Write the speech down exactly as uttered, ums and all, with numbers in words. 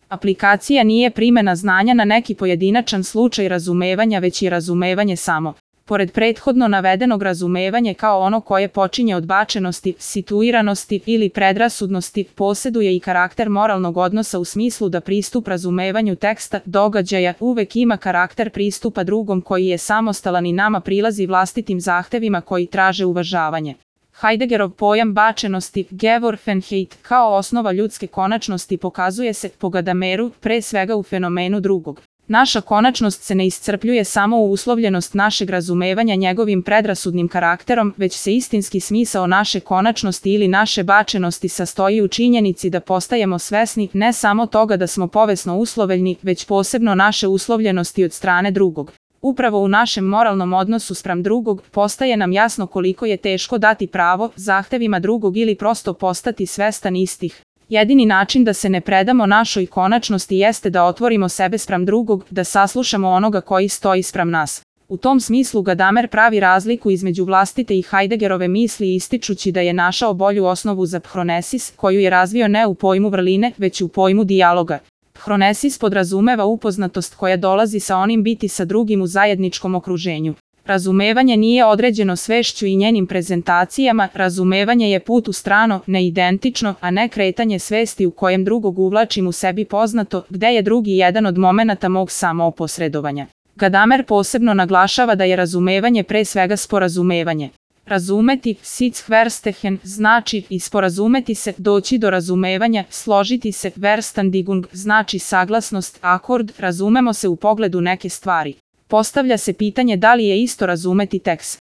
Aplikacija nije primena znanja na neki pojedinačan slučaj razumevanja, već i razumevanje samo. Pored prethodno navedenog, razumevanje kao ono koje počinje od bačenosti, situiranosti ili predrasudnosti, posjeduje i karakter moralnog odnosa u smislu da pristup razumevanju teksta, događaja, uvek ima karakter pristupa drugom koji je samostalan i nama prilazi vlastitim zahtevima koji traže uvažavanje. Heideggerov pojam bačenosti, Geworfenheit, kao osnova ljudske konačnosti pokazuje se po Gadameru, pre svega u fenomenu drugog. Naša konačnost se ne iscrpljuje samo u uslovljenost našeg razumevanja njegovim predrasudnim karakterom, već se istinski smisao naše konačnosti ili naše bačenosti sastoji u činjenici da postajemo svesni ne samo toga da smo povesno uslovljeni, već posebno naše uslovljenosti od strane drugog. Upravo u našem moralnom odnosu spram drugog postaje nam jasno koliko je teško dati pravo zahtevima drugog ili prosto postati svestan istih. Jedini način da se ne predamo našoj konačnosti jeste da otvorimo sebe spram drugog, da saslušamo onoga koji stoji spram nas. U tom smislu Gadamer pravi razliku između vlastite i Heideggerove misli ističući da je našao bolju osnovu za phronesis, koju je razvio ne u pojmu vrline, već u pojmu dijaloga. Phronesis podrazumeva upoznatost koja dolazi sa onim biti sa drugim u zajedničkom okruženju. Razumevanje nije određeno svešću i njenim prezentacijama, razumevanje je put u strano, neidentično, a ne kretanje svesti u kojem drugog uvlačim u sebi poznato, gde je drugi jedan od momenata mog samooposredovanja. Gadamer posebno naglašava da je razumevanje pre svega sporazumevanje. Razumeti, sitzverstehen, znači i sporazumeti se, doći do razumevanja, složiti se, verstandigung, znači saglasnost, akord, razumemo se u pogledu neke stvari. Postavlja se pitanje da li je isto razumeti tekst.